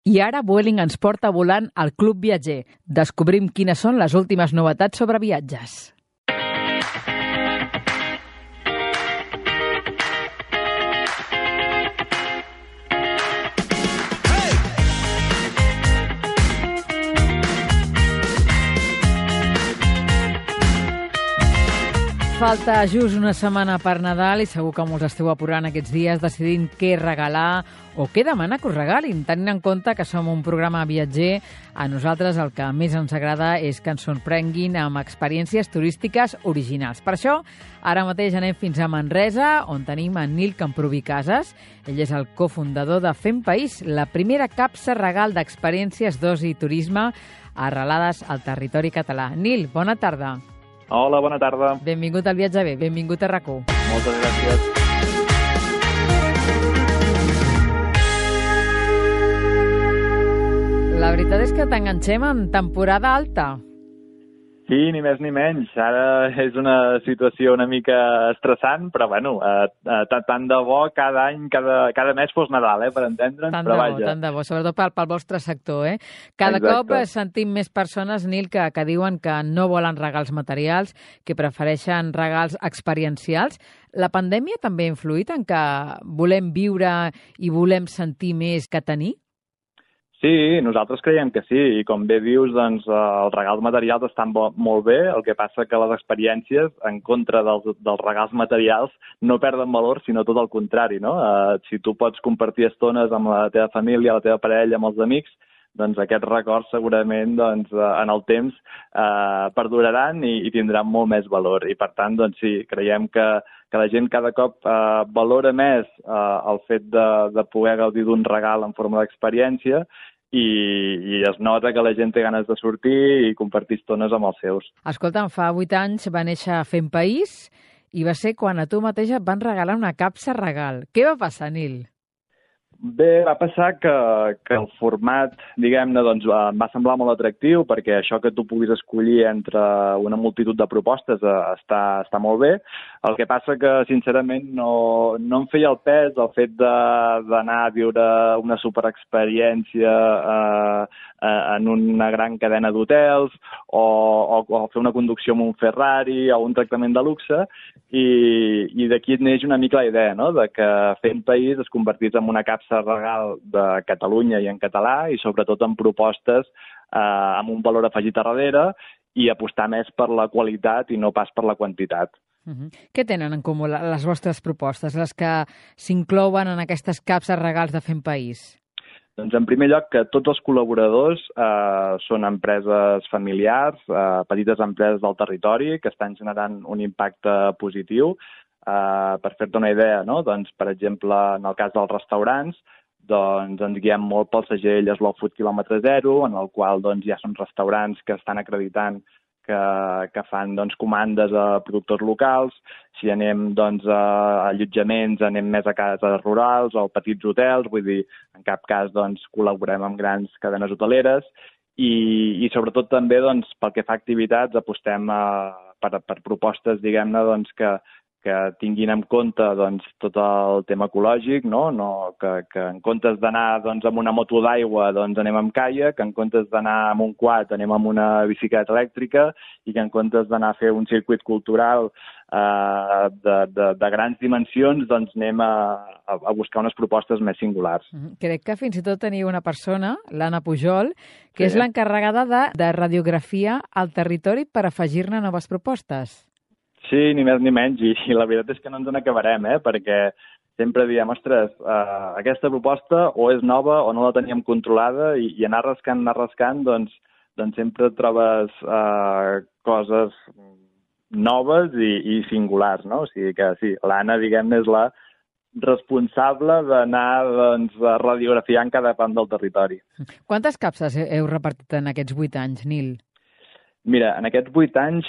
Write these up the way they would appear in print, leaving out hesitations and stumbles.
I ara Vueling ens porta volant al Club Viatger. Descobrim quines són les últimes novetats sobre viatges. Falta just una setmana per Nadal i segur que molts esteu apurant aquests dies decidint què regalar o què demanar que us regalin. Tenint en compte que som un programa viatger, a nosaltres el que més ens agrada és que ens sorprenguin amb experiències turístiques originals. Per això, ara mateix anem fins a Manresa, on tenim en Nil Camproví Casas. Ell és el cofundador de Fem País, la primera capsa regal d'experiències d'oci i turisme arrelades al territori català. Nil, bona tarda. Hola, bona tarda. Benvingut al Viatge Bé, benvingut a RAC1. Moltes gràcies. La veritat és que t'enganxem en temporada alta. Sí, ni més ni menys. Ara és una situació una mica estressant, però bueno, tant de bo cada any, cada mes fos Nadal, per entendre'ns, però vaja. Tant de bo, sobretot pel vostre sector, Cada Exacte. cop sentim més persones, Nil, que diuen que no volen regals materials, que prefereixen regals experiencials. La pandèmia també ha influït en que volem viure i volem sentir més que tenir? Sí, nosaltres creiem que sí, i com bé dius, doncs, els regals materials estan molt bé, el que passa que les experiències, en contra dels regals materials, no perden valor, sinó tot el contrari, no? Si tu pots compartir estones amb la teva família, la teva parella, amb els amics, doncs aquests records segurament en el temps perduraran i tindran molt més valor. I per tant, doncs sí, creiem que la gent cada cop valora més el fet de poder gaudir d'un regal en forma d'experiència i es nota que la gent té ganes de sortir i compartir estones amb els seus. Escolta'm, fa 8 anys va néixer Fem País i va ser quan a tu mateixa et van regalar una capsa regal. Què va passar, Nil? Bé, va passar que el format, diguem-ne, doncs, em va semblar molt atractiu perquè això que tu puguis escollir entre una multitud de propostes està molt bé. El que passa que, sincerament, no em feia el pes el fet d'anar a viure una superexperiència en una gran cadena d'hotels o fer una conducció amb un Ferrari o un tractament de luxe i d'aquí neix una mica la idea, no?, de que Fem País es convertís en una capsa regal de Catalunya i en català i sobretot en propostes amb un valor afegit a darrere i apostar més per la qualitat i no pas per la quantitat. Què tenen en comú les vostres propostes, les que s'inclouen en aquestes capses regals de Fem País? Doncs en primer lloc que tots els col·laboradors són empreses familiars, petites empreses del territori que estan generant un impacte positiu. Per fer-te una idea, no? Doncs, per exemple, en el cas dels restaurants, doncs ens guiem molt pel segell Slow Food Kilòmetre Zero, en el qual doncs, ja són restaurants que estan acreditant que fan doncs, comandes a productors locals. Si anem doncs, a allotjaments, anem més a cases rurals o a petits hotels, vull dir, en cap cas doncs, col·laborem amb grans cadenes hoteleres i sobretot també doncs, pel que fa a activitats apostem per propostes, diguem-ne, doncs, que tinguin en compte doncs, tot el tema ecològic, no? Que en comptes d'anar doncs, amb una moto d'aigua doncs, anem amb caiac, en comptes d'anar amb un quad anem amb una bicicleta elèctrica i que en comptes d'anar a fer un circuit cultural de grans dimensions doncs, anem a buscar unes propostes més singulars. Crec que fins i tot teniu una persona, l'Anna Pujol, que és l'encarregada de radiografia al territori per afegir-ne noves propostes. Sí, ni més ni menys, i la veritat és que no ens n'acabarem, perquè sempre diem, ostres, aquesta proposta o és nova o no la teníem controlada i anar rascant, doncs sempre trobes coses noves i singulars, no? O sigui que sí, l'Anna, diguem-ne, és la responsable d'anar doncs, radiografiant cada punt del territori. Quantes capses heu repartit en aquests 8 anys, Nil? Mira, en aquests 8 anys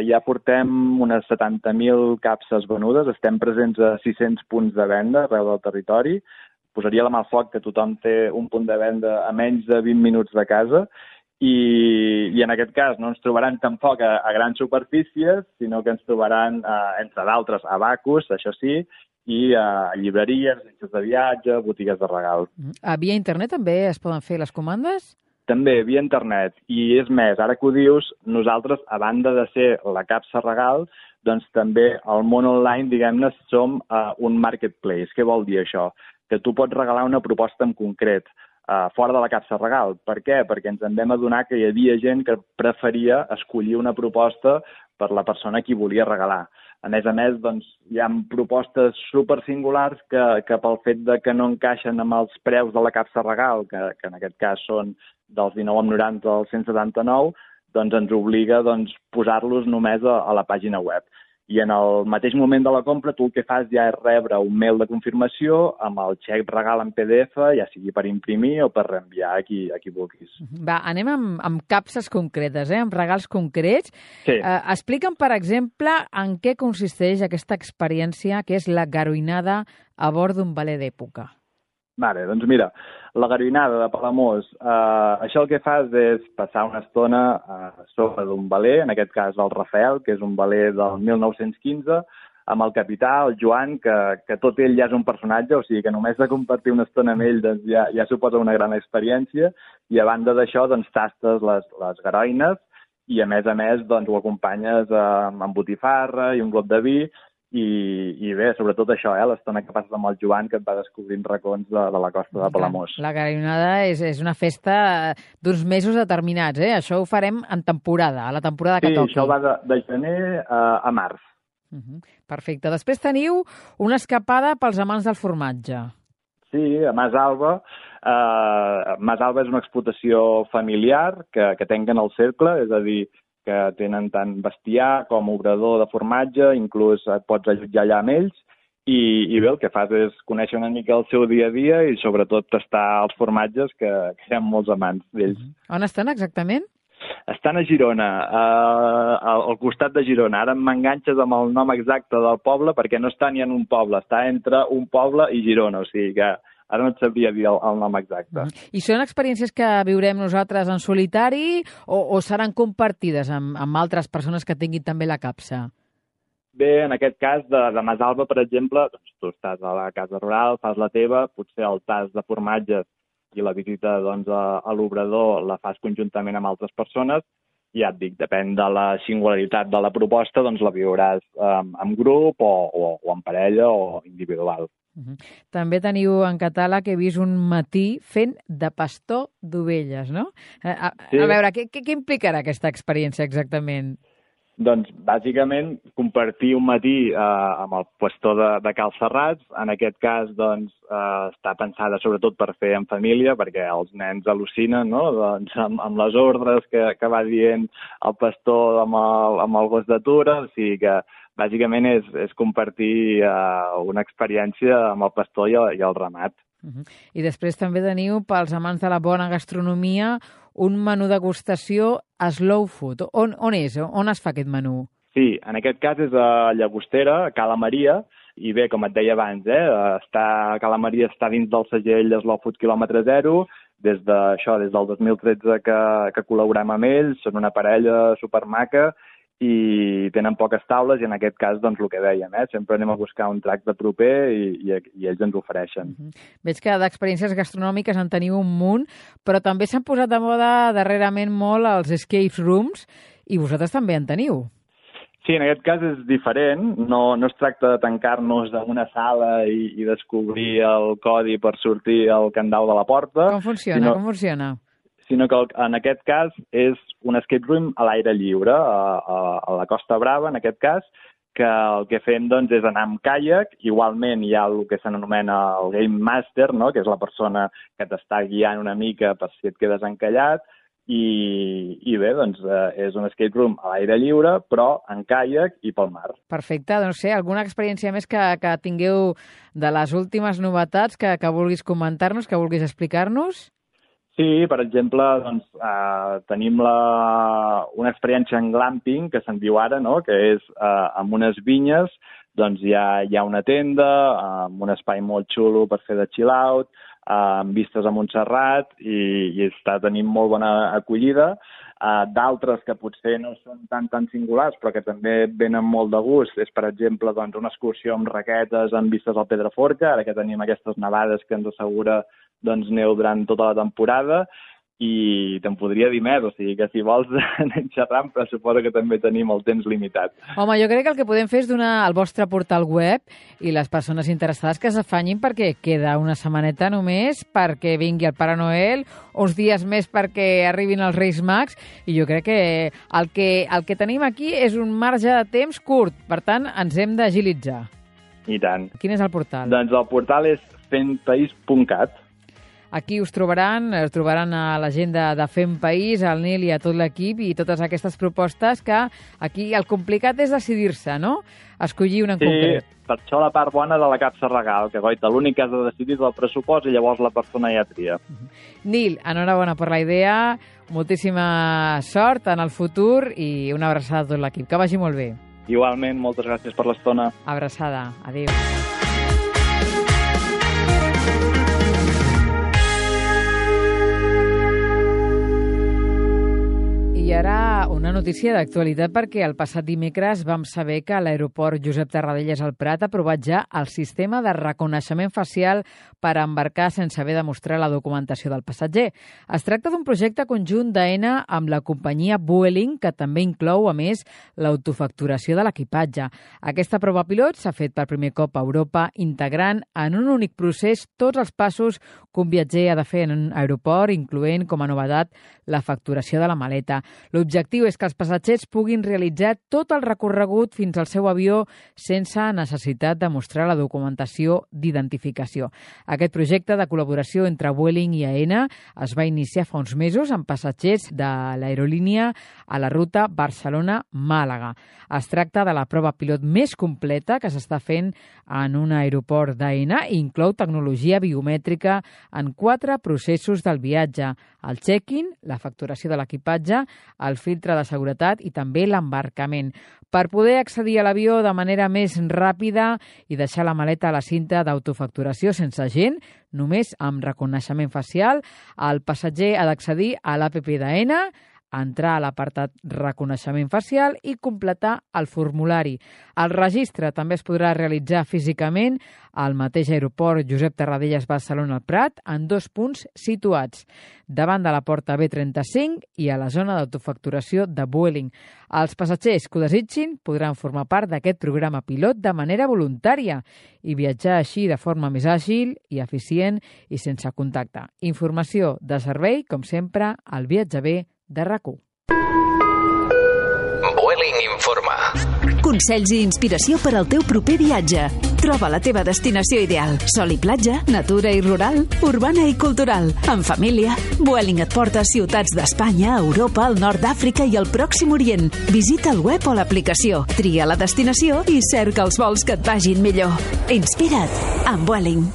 ja portem unes 70.000 capses venudes, estem presents a 600 punts de venda arreu del territori. Posaria la mà al foc que tothom té un punt de venda a menys de 20 minuts de casa i en aquest cas no ens trobaran tampoc a grans superfícies, sinó que ens trobaran, entre d'altres, a Bacus, això sí, i llibreries, agències de viatge, botigues de regal. Via internet també es poden fer les comandes? També, via internet. I és més, ara que ho dius, nosaltres, a banda de ser la capsa regal, doncs també al món online, diguem-ne, som un marketplace. Què vol dir això? Que tu pots regalar una proposta en concret, fora de la capsa regal. Per què? Perquè ens en vam adonar que hi havia gent que preferia escollir una proposta per la persona a qui volia regalar. A més, doncs, hi ha propostes super singulars que pel fet de que no encaixen amb els preus de la capsa regal, que en aquest cas són dels 19,90 als 179, doncs ens obliga posar-los només a la pàgina web. I en el mateix moment de la compra, tu el que fas ja és rebre un mail de confirmació amb el xec regal en PDF, ja sigui per imprimir o per reenviar a qui vulguis. Va, anem amb capses concretes, amb regals concrets. Sí. Explica'm, per exemple, en què consisteix aquesta experiència que és la garoinada a bord d'un veler d'època. Vale, doncs mira, la garoinada de Palamós, això el que fas és passar una estona sobre d'un veler, en aquest cas el Rafael, que és un veler del 1915, amb el capità, el Joan, que tot ell ja és un personatge, o sigui que només de compartir una estona amb ell doncs, ja suposa una gran experiència, i a banda d'això doncs, tastes les garoines i a més doncs, ho acompanyes amb botifarra i un glop de vi, i bé, sobretot això, l'estona que passes amb el Joan, que et va descobrint racons de la costa de Palamós. La garoinada és una festa d'uns mesos determinats, Això ho farem en temporada, a la temporada que toqui. Sí, això va de gener a març. Perfecte. Després teniu una escapada pels amants del formatge. Sí, a Mas Alba. Mas Alba és una explotació familiar que tanquen el cercle, és a dir, que tenen tant bestiar com obrador de formatge, inclús et pots allotjar allà amb ells, i bé, el que fas és conèixer una mica el seu dia a dia i sobretot tastar els formatges, que hi ha molts amants d'ells. On estan exactament? Estan a Girona, al costat de Girona. Ara m'enganxes amb el nom exacte del poble perquè no està ni en un poble, està entre un poble i Girona, o sigui que ara no et sabria dir el nom exacte. I són experiències que viurem nosaltres en solitari o seran compartides amb altres persones que tinguin també la capsa? Bé, en aquest cas, de Masalba, per exemple, doncs, tu estàs a la casa rural, fas la teva, potser el tas de formatges i la visita a l'obrador la fas conjuntament amb altres persones, i ja et dic, depèn de la singularitat de la proposta, doncs la viuràs en grup o en parella o individual. També teniu en catàleg, he vist un matí fent de pastor d'ovelles, no? Sí. A veure, què implicarà aquesta experiència exactament? Doncs, bàsicament, compartir un matí amb el pastor de Cal Serrats. En aquest cas, doncs, està pensada sobretot per fer en família, perquè els nens al·lucinen, no? Doncs, amb les ordres que va dient el pastor amb el gos d'atura, o sigui que bàsicament és compartir una experiència amb el pastor i el ramat. I després també teniu, pels amants de la bona gastronomia, un menú degustació slow food. On és? On es fa aquest menú? Sí, en aquest cas és a Llagostera, a Cala Maria, i bé, com et deia abans, Cala Maria està dins del segell Slow Food quilòmetre zero, des del 2013 que col·laborem amb ells, són una parella supermaca, i tenen poques taules i en aquest cas, doncs, el que dèiem, sempre anem a buscar un tracte proper i ells ens ofereixen. Veig que d'experiències gastronòmiques en teniu un munt, però també s'han posat de moda darrerament molt els escape rooms i vosaltres també en teniu. Sí, en aquest cas és diferent, no es tracta de tancar-nos en una sala i descobrir el codi per sortir al candau de la porta. Com funciona? Sinó que en aquest cas és un escape room a l'aire lliure, a la Costa Brava, en aquest cas, que el que fem doncs, és anar amb caiac. Igualment hi ha el que s'anomena el Game Master, no? Que és la persona que t'està guiant una mica per si et quedes encallat, i bé, doncs és un escape room a l'aire lliure, però en caiac i pel mar. Perfecte, doncs alguna experiència més que tingueu de les últimes novetats que vulguis comentar-nos, que vulguis explicar-nos? Sí, per exemple, doncs, tenim una experiència en glamping, que se'n diu ara, no? Que és amb unes vinyes, doncs hi ha una tenda amb un espai molt xulo per fer de chill out, amb vistes a Montserrat i està tenint molt bona acollida. D'altres que potser no són tan singulars però que també venen molt de gust és, per exemple, doncs, una excursió amb raquetes amb vistes al Pedraforca, ara que tenim aquestes nevades que ens assegura neu durant tota la temporada, i te'n podria dir més, o sigui que si vols anem xerrant, però suposo que també tenim el temps limitat. Home, jo crec que el que podem fer és donar el vostre portal web i les persones interessades que s'afanyin perquè queda una setmaneta només perquè vingui el Pare Noel, uns dies més perquè arribin els Reis Mags, i jo crec que el que tenim aquí és un marge de temps curt, per tant ens hem d'agilitzar. I tant. Quin és el portal? Doncs el portal és fentpaís.cat. Aquí us trobaran a l'agenda de Fem País, al Nil i a tot l'equip, i totes aquestes propostes que aquí el complicat és decidir-se, no? Escollir una en concret. Sí, per això la part bona de la capsa regal, que goita, l'únic que has de decidir és el pressupost i llavors la persona ja tria. Nil, enhorabona per la idea, moltíssima sort en el futur i una abraçada a tot l'equip. Que vagi molt bé. Igualment, moltes gràcies per l'estona. Abraçada, adéu. I ara una notícia d'actualitat, perquè el passat dimecres vam saber que l'aeroport Josep Tarradellas al Prat ha aprovat ja el sistema de reconeixement facial per embarcar sense haver de mostrar la documentació del passatger. Es tracta d'un projecte conjunt d'AENA amb la companyia Vueling, que també inclou, a més, l'autofacturació de l'equipatge. Aquesta prova pilot s'ha fet per primer cop a Europa, integrant en un únic procés tots els passos que un viatger ha de fer en un aeroport, incloent com a novetat la facturació de la maleta. L'objectiu és que els passatgers puguin realitzar tot el recorregut fins al seu avió sense necessitat de mostrar la documentació d'identificació. Aquest projecte de col·laboració entre Vueling i AENA es va iniciar fa uns mesos amb passatgers de l'aerolínia a la ruta Barcelona-Màlaga. Es tracta de la prova pilot més completa que s'està fent en un aeroport d'AENA i inclou tecnologia biomètrica en 4 processos del viatge: el check-in, la facturació de l'equipatge, el filtre de seguretat i també l'embarcament. Per poder accedir a l'avió de manera més ràpida i deixar la maleta a la cinta d'autofacturació sense gent, només amb reconeixement facial, el passatger ha d'accedir a l'APP d'AENA, entrar a l'apartat reconeixement facial i completar el formulari. El registre també es podrà realitzar físicament al mateix aeroport Josep Tarradellas Barcelona al Prat, en 2 punts situats, davant de la porta B35 i a la zona d'autofacturació de Vueling. Els passatgers que ho desitgin podran formar part d'aquest programa pilot de manera voluntària i viatjar així de forma més àgil i eficient i sense contacte. Informació de servei, com sempre, al Viatge Bé de RAC1. Vueling informa. Consells i inspiració per al teu proper viatge. Troba la teva destinació ideal. Sol i platja, natura i rural, urbana i cultural. En família, Vueling et porta a ciutats d'Espanya, Europa, el nord d'Àfrica i el Pròxim Orient. Visita el web o l'aplicació, tria la destinació i cerca els vols que et vagin millor. Inspira't amb Vueling.